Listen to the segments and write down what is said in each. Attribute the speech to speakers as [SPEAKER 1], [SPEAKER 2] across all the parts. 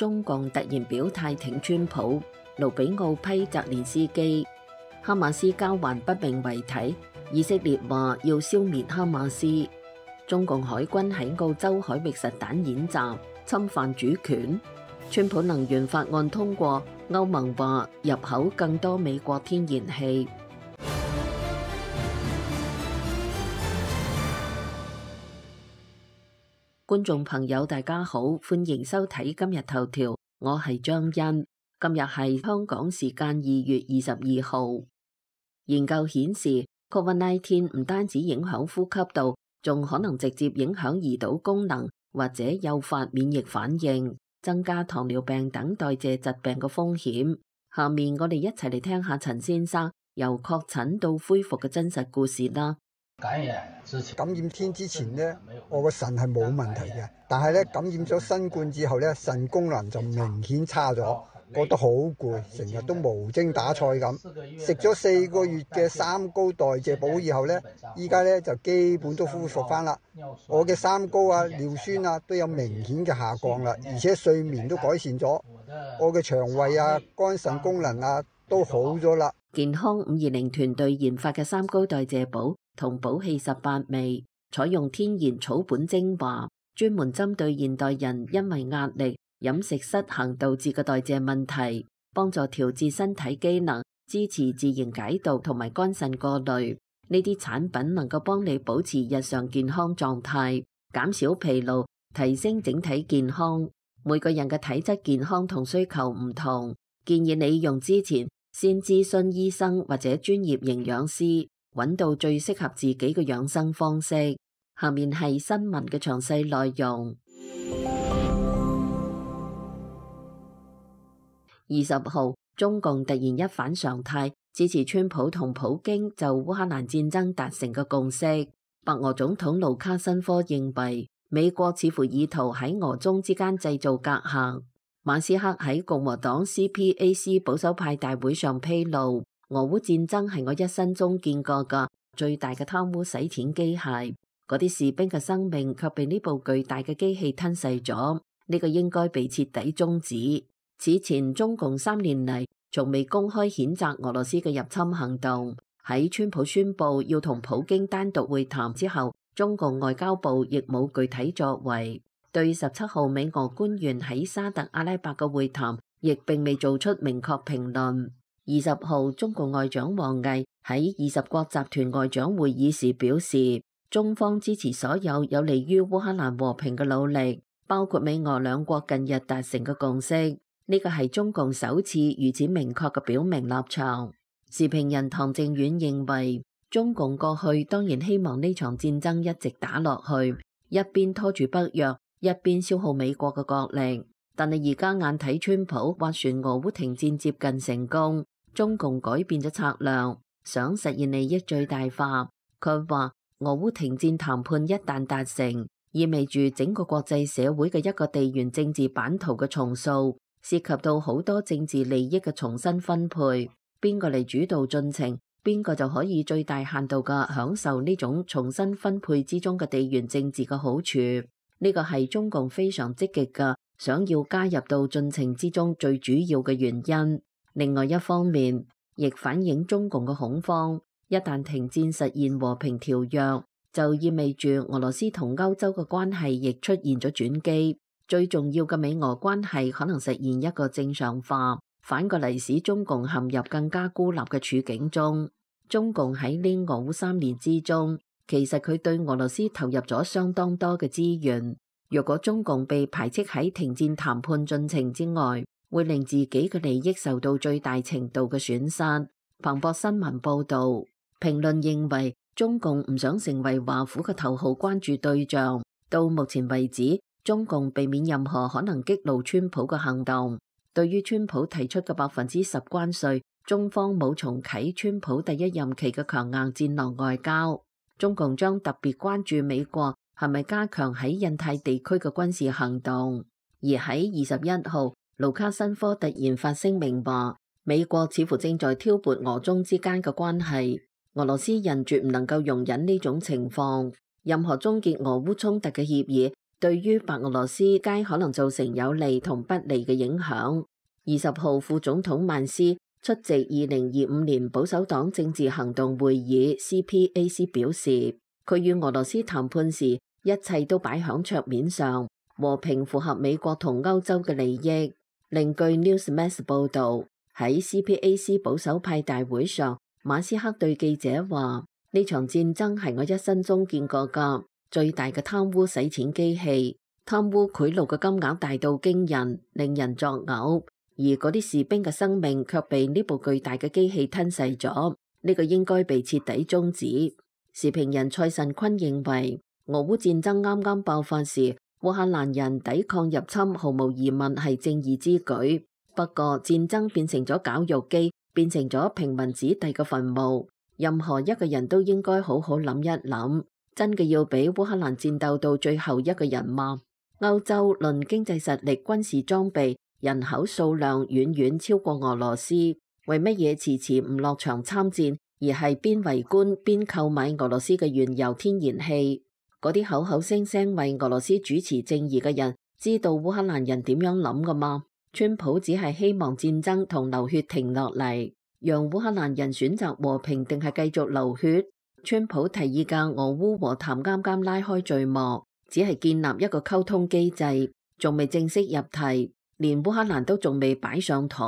[SPEAKER 1] 中共突然表態挺川普，盧比奧批澤連斯基。哈馬斯交還不明遺體，以色列話要消滅哈馬斯。中共海軍喺澳洲海域實彈演習，侵犯主權。川普能源法案通過，歐盟話入口更多美國天然氣。觀眾朋友大家好，歡迎收睇今日頭條，我係張欣。今日係香港時間2月22號。研究顯示 ，COVID-19 唔單止影響呼吸道，仲可能直接影響胰島功能，或者誘發免疫反應，增加糖尿病等代謝疾病嘅風險。下面我哋一齊嚟聽下陳先生由確診到恢復嘅真實故事啦。
[SPEAKER 2] 感染天之前呢，我個腎係冇問題嘅，但係咧感染咗新冠之後咧，腎功能就明顯差咗，覺得好攰，成日都無精打采咁。食咗4個月嘅三高代謝補以後咧，依家咧就基本都恢復翻啦。我嘅三高啊、尿酸啊都有明顯嘅下降啦，而且睡眠都改善咗，我嘅腸胃啊、肝腎功能啊都好咗啦。
[SPEAKER 1] 健康520團隊研發嘅三高代謝補同補氣18味，採用天然草本精華，專門針對現代人因為壓力、飲食失衡導致嘅代謝問題，幫助調節身體機能，支持自然解毒同埋肝腎過濾。呢啲產品能夠幫你保持日常健康狀態，減少疲勞，提升整體健康。每個人嘅體質健康同需求唔同，建議你用之前先諮詢醫生或者專業營養師，揾到最適合自己嘅養生方式。下面係新聞嘅詳細內容。20號，中共突然一反常態，支持川普同普京就烏克蘭戰爭達成嘅共識。白俄總統盧卡申科認為，美國似乎意圖喺俄中之間製造隔閡。馬斯克喺共和黨 CPAC 保守派大會上披露，俄烏戰爭係我一生中見過嘅最大嘅貪污洗錢機械，嗰啲士兵嘅生命卻被呢部巨大嘅機器吞噬咗，呢個應該被徹底終止。此前中共3年嚟從未公開譴責俄羅斯嘅入侵行動，喺川普宣布要同普京單獨會談之後，中共外交部亦冇具體作為。對17號美俄官員喺沙特阿拉伯嘅會談，亦並未做出明確評論。20號，中共外長王毅喺20國集團外長會議時表示，中方支持所有有利於烏克蘭和平嘅努力，包括美俄兩國近日達成嘅共識。呢個係中共首次如此明確嘅表明立場。時評人唐正遠認為，中共過去當然希望呢場戰爭一直打落去，一邊拖住北約，一邊消耗美國嘅國力，但係而家眼睇川普斡旋俄烏停戰接近成功，中共改變咗策略，想實現利益最大化。佢話俄烏停戰談判一旦達成，意味住整個國際社會嘅一個地緣政治版圖嘅重塑，涉及到好多政治利益嘅重新分配，邊個嚟主導進程，邊個就可以最大限度嘅享受呢種重新分配之中嘅地緣政治嘅好處。呢個係中共非常積極嘅，想要加入到進程之中最主要嘅原因。另外一方面，亦反映中共嘅恐慌。一旦停戰實現和平條約，就意味住俄羅斯同歐洲嘅關係亦出現咗轉機。最重要嘅美俄關係可能實現一個正常化，反過嚟使中共陷入更加孤立嘅處境中。中共喺呢俄烏3年之中，其實佢對俄羅斯投入咗相當多嘅資源。若果中共被排斥喺停戰談判進程之外，會令自己嘅利益受到最大程度嘅損失。彭博新聞報道，評論認為中共唔想成為華府嘅頭號關注對象。到目前為止，中共避免任何可能激怒川普嘅行動。對於川普提出嘅10%關稅，中方冇重啟川普第一任期嘅強硬戰狼外交。中共將特別關注美國係咪加強喺印太地區嘅軍事行動。而喺21號，盧卡申科突然發聲明話，美國似乎正在挑撥俄中之間嘅關係，俄羅斯人絕唔能夠容忍呢種情況。任何終結俄烏衝突嘅協議對於白俄羅斯皆可能造成有利同不利嘅影響。20號，副總統曼斯出席2025年保守黨政治行動會議 CPAC 表示，佢與俄羅斯談判時，一切都擺響桌面上，和平符合美國同歐洲嘅利益。另據 Newsmax 報導，喺 CPAC 保守派大會上，馬斯克對記者話：呢場戰爭係我一生中見過嘅最大嘅貪污洗錢機器，貪污賄賂嘅金額大到驚人，令人作嘔。而嗰啲士兵嘅生命卻被呢部巨大嘅機器吞噬咗，呢個應該被徹底終止。時評人蔡慎坤認為，俄烏戰爭啱啱爆發時，烏克蘭人抵抗入侵毫無疑問係正義之舉。不過戰爭變成咗絞肉機，變成咗平民子弟嘅墳墓。任何一個人都應該好好諗一諗，真嘅要俾烏克蘭戰鬥到最後一個人嗎？歐洲論經濟實力、軍事裝備、人口數量遠遠超過俄羅斯，為乜嘢遲遲唔落場參戰，而係邊圍觀邊購買俄羅斯嘅原油天然氣？嗰啲口口聲聲為俄羅斯主持正義嘅人，知道烏克蘭人點樣諗㗎嗎？川普只係希望戰爭同流血停落嚟，讓烏克蘭人選擇和平定係繼續流血。川普提議嘅俄烏和談啱啱拉開序幕，只係建立一個溝通機制，仲未正式入題。連烏克蘭都仲未擺上台，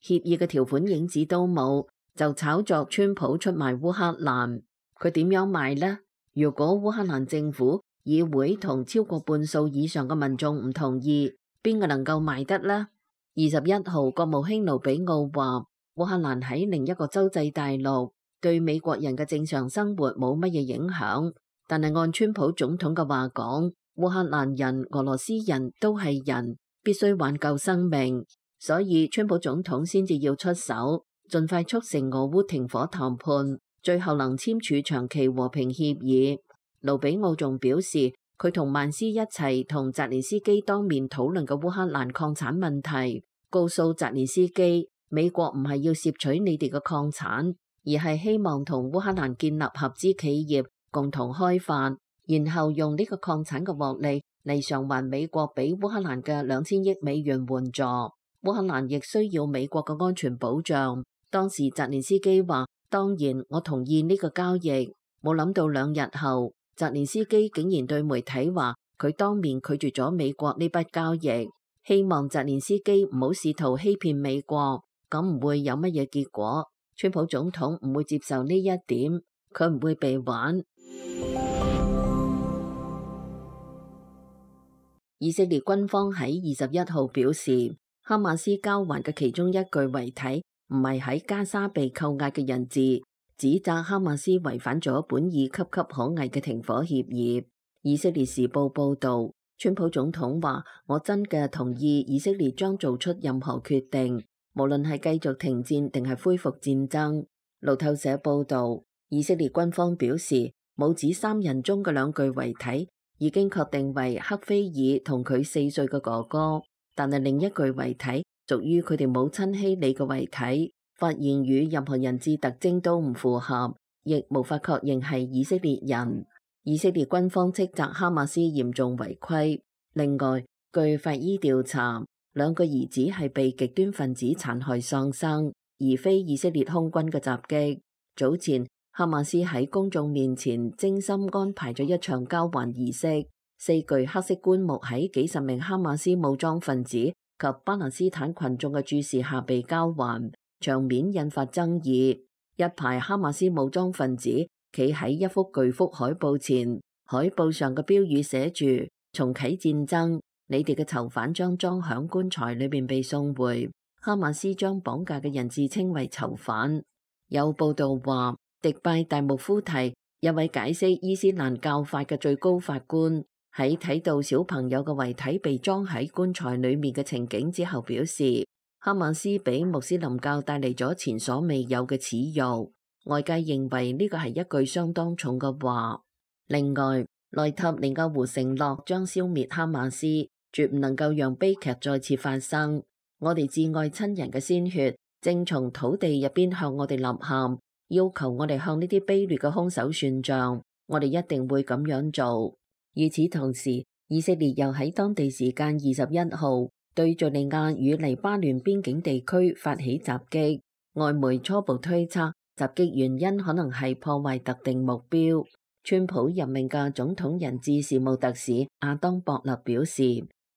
[SPEAKER 1] 協議嘅條款影子都冇，就炒作川普出賣烏克蘭。佢點樣賣呢？如果烏克蘭政府、議會同超過半數以上嘅民眾唔同意，邊個能夠賣得呢？21號，國務卿盧比奧話，烏克蘭喺另一個洲際大陸，對美國人嘅正常生活冇乜嘢影響。但係按川普總統嘅話講，烏克蘭人、俄羅斯人都係人，必須挽救生命，所以川普總統先至要出手，盡快促成俄烏停火談判，最後能簽署長期和平協議。盧比奧仲表示，佢同曼斯一齊同澤連斯基當面討論嘅烏克蘭礦產問題，告訴澤連斯基，美國唔係要攝取你哋嘅礦產，而係希望同烏克蘭建立合資企業，共同開發，然後用呢個礦產嘅獲利嚟償還美國俾烏克蘭嘅2000億美元援助。烏克蘭亦需要美國嘅安全保障。當時澤連斯基話，當然我同意呢個交易。冇諗到2日後，澤連斯基竟然對媒體話佢當面拒絕咗美國呢筆交易，希望澤連斯基唔好試圖欺騙美國，咁唔會有乜嘢結果。川普總統唔會接受呢一點，佢唔會被玩。以色列軍方喺21號表示，哈馬斯交還嘅其中一具遺體唔係喺加沙被扣押嘅人質，指責哈馬斯違反咗本已岌岌可危嘅停火協議。以色列時報報導，川普總統話：我真嘅同意以色列將做出任何決定，無論係繼續停戰定係恢復戰爭。路透社報導，以色列軍方表示，母子3人中嘅2具遺體已經確定為克菲爾同佢4歲嘅哥哥，但係另一具遺體屬於佢哋母親希里嘅遺體，發現與任何人質特徵都唔符合，亦無法確認係以色列人。以色列軍方斥責哈馬斯嚴重違規。另外，據法醫調查，2個兒子係被極端分子殘害喪生，而非以色列空軍嘅襲擊。早前，哈馬斯喺公眾面前精心安排咗一場交還儀式，4具黑色棺木喺幾十名哈馬斯武裝分子及巴勒斯坦群眾嘅注視下被交還，場面引發爭議。一排哈馬斯武裝分子企喺一幅巨幅海報前，海報上嘅標語寫住：重啟戰爭，你哋嘅囚犯將裝響棺材裏面被送回。哈馬斯將綁架嘅人自稱為囚犯。有報道話，迪拜大穆夫提，一位解釋伊斯蘭教法嘅最高法官，喺睇到小朋友嘅遺體被裝喺棺材裏面嘅情景之後表示，哈馬斯俾穆斯林教帶嚟咗前所未有嘅恥辱。外界認為呢個係一句相當重嘅話。另外，內塔尼亞胡承諾將消滅哈馬斯，絕唔能夠讓悲劇再次發生。我哋摯愛親人嘅鮮血正從土地入邊向我哋吶喊，要求我哋向呢啲卑劣嘅兇手算賬。我哋一定會咁樣做。與此同時，以色列又喺當地時間21號對敘利亞與黎巴嫩邊境地區發起襲擊，外媒初步推測襲擊原因可能係破壞特定目標。川普任命嘅總統人質事務特使亞當博勒表示，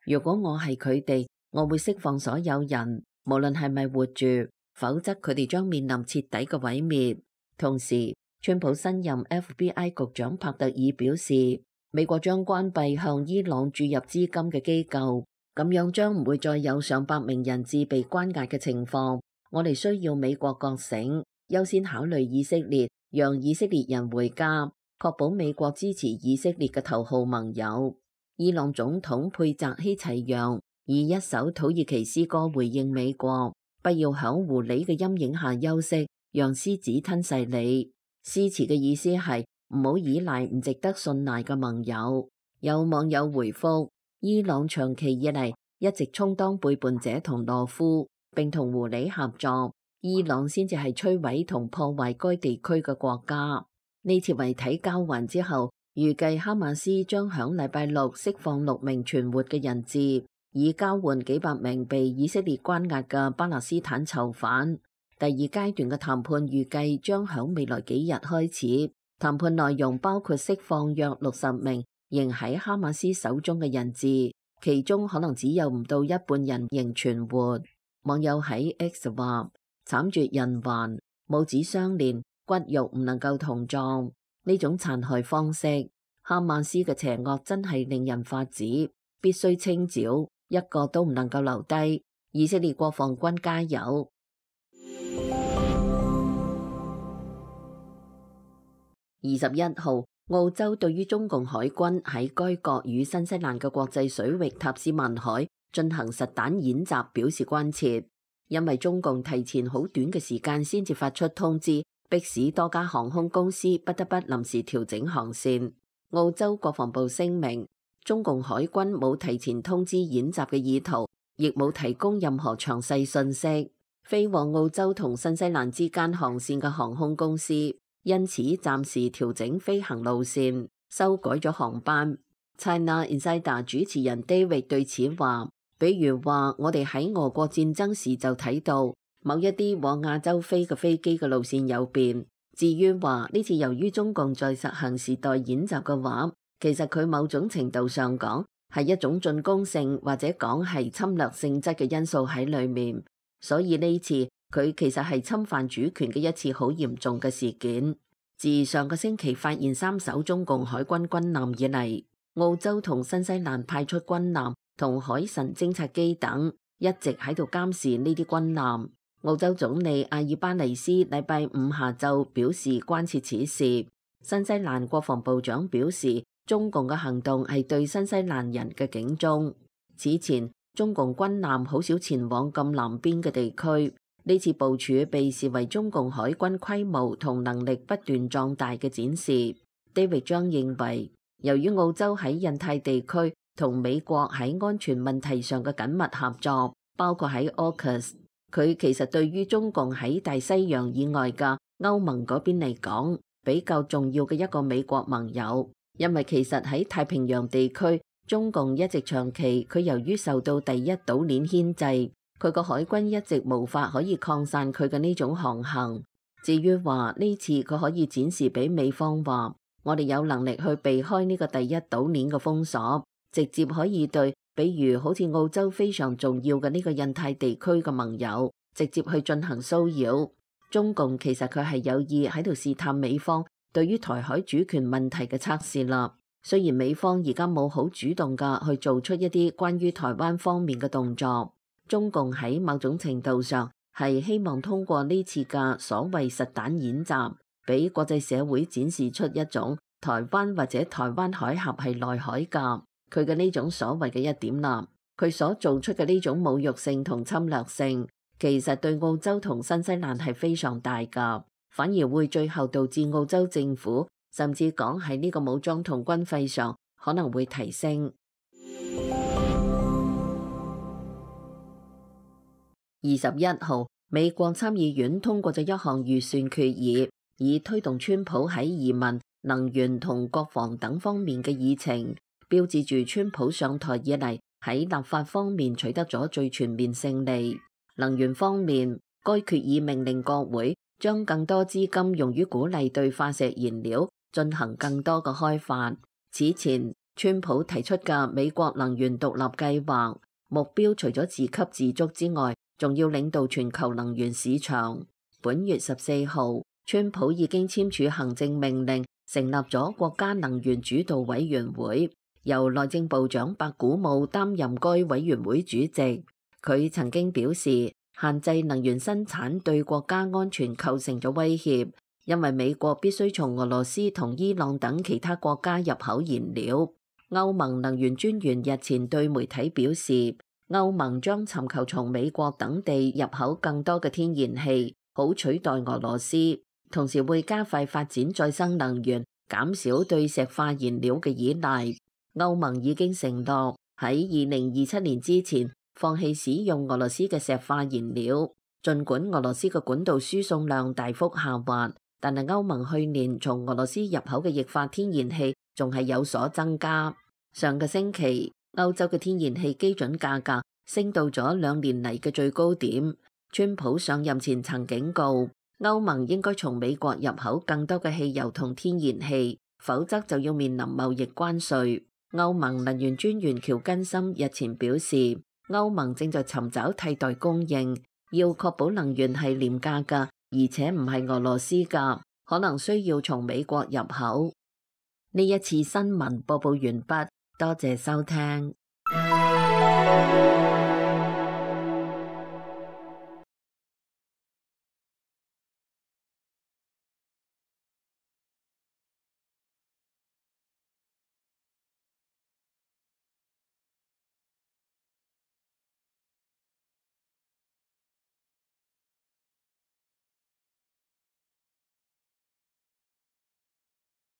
[SPEAKER 1] 如果我係佢哋，我會釋放所有人，無論係咪活住，否則佢哋將面臨徹底嘅毀滅。同時，川普新任 FBI 局長帕特爾表示，美國將關閉向伊朗注入資金嘅機構，咁樣將唔會再有上百名人質被關押嘅情況。我哋需要美國覺醒，優先考慮以色列，讓以色列人回家，確保美國支持以色列嘅頭號盟友。伊朗總統佩澤希齊揚以一首土耳其詩歌回應美國，不要響狐狸嘅陰影下休息，讓獅子吞噬你。詩詞嘅意思係唔好依賴唔值得信賴嘅盟友。有網友回覆，伊朗長期以嚟一直充當背叛者同懦夫，並同狐狸合作，伊朗先至係摧毀同破壞該地區嘅國家。呢次遺體交還之後，預計哈馬斯將響禮拜六釋放6名存活嘅人質，以交換幾百名被以色列關押嘅巴勒斯坦囚犯。第二階段嘅談判預計將響未來幾日開始，談判內容包括釋放約60名仍喺哈馬斯手中嘅人質，其中可能只有唔到一半人仍存活。網友喺 X 話：慘絕人寰，母子相連，骨肉唔能夠同葬，呢種殘害方式，哈馬斯嘅邪惡真係令人髮指，必須清剿，一個都唔能夠留低。以色列國防軍加油！21號，澳洲對於中共海軍喺該國與新西蘭嘅國際水域塔斯曼海進行實彈演習表示關切，因為中共提前好短嘅時間先至發出通知，迫使多家航空公司不得不臨時調整航線。澳洲國防部聲明，中共海軍冇提前通知演習嘅意圖，亦冇提供任何詳細信息。飛往澳洲同新西蘭之間航線嘅航空公司因此暫時調整飛行路線，修改咗航班。China Insider 主持人 David 對此話，比如話我哋喺俄國戰爭時就睇到某一啲往亞洲飛嘅飛機嘅路線有變。至於話呢次由於中共在實行時代演習嘅話，其實佢某種程度上講係一種進攻性或者講係侵略性質嘅因素喺裏面，所以呢次佢其實係侵犯主權嘅一次好嚴重嘅事件。自上個星期發現3艘中共海軍軍艦以嚟，澳洲同新西蘭派出軍艦同海神偵察機等，一直喺度監視呢啲軍艦。澳洲總理阿爾巴尼斯禮拜5下晝表示關切此事。新西蘭國防部長表示，中共嘅行動係對新西蘭人嘅警鐘。此前，中共軍艦好少前往咁南邊嘅地區，呢次部署被視為中共海軍規模同能力不斷壯大嘅展示。David 張認為，由於澳洲喺印太地區同美國喺安全問題上嘅緊密合作，包括喺 AUKUS，佢其實對於中共喺大西洋以外嘅歐盟嗰邊嚟講，比較重要嘅一個美國盟友。因為其實喺太平洋地區，中共一直長期佢由於受到第一島鏈牽制，佢個海軍一直無法可以擴散佢嘅呢種航行。至於話呢次佢可以展示俾美方話，我哋有能力去避開呢個第一島鏈嘅封鎖，直接可以對比如好似澳洲非常重要嘅呢個印太地區嘅盟友直接去進行騷擾。中共其實佢係有意喺度試探美方對於台海主權問題嘅測試啦。雖然美方而家冇好主動㗎去做出一啲關於台灣方面嘅動作，中共喺某種程度上係希望通過呢次嘅所謂實彈演習，俾國際社會展示出一種台灣或者台灣海峽係內海㗎，佢嘅呢種所謂嘅一點啦，佢所做出嘅呢種侮辱性同侵略性，其實對澳洲同新西蘭係非常大㗎。反而會最後導致澳洲政府甚至講喺呢個武裝同軍費上可能會提升。21號，美國參議院通過咗一項預算決議，以推動川普喺移民、能源同國防等方面嘅議程，標誌住川普上台以嚟喺立法方面取得咗最全面勝利。能源方面，該決議命令國會將更多資金用於鼓勵對化石燃料進行更多嘅開發。此前，川普提出嘅美國能源獨立計劃目標除咗自給自足之外，仲要領導全球能源市場。本月14號，川普已經簽署行政命令，成立咗國家能源主導委員會，由內政部長白古姆擔任該委員會主席。佢曾經表示，限制能源生產對國家安全構成咗威脅，因為美國必須從俄羅斯同伊朗等其他國家入口燃料。歐盟能源專員日前對媒體表示，歐盟將尋求從美國等地入口更多嘅天然氣，好取代俄羅斯，同時會加快發展再生能源，減少對石化燃料嘅依賴。歐盟已經承諾喺2027年之前放棄使用俄羅斯嘅石化燃料。儘管俄羅斯嘅管道輸送量大幅下滑，但係歐盟去年從俄羅斯入口嘅液化天然氣仲係有所增加。上個星期，歐洲嘅天然氣基準價格升到咗2年嚟嘅最高點。川普上任前曾警告，歐盟應該從美國入口更多嘅汽油同天然氣，否則就要面臨貿易關稅。歐盟能源專員喬根森日前表示，歐盟正在尋找替代供應，要確保能源係廉價㗎，而且唔係俄羅斯㗎，可能需要從美國入口。呢一次新聞播報完畢，多謝收聽。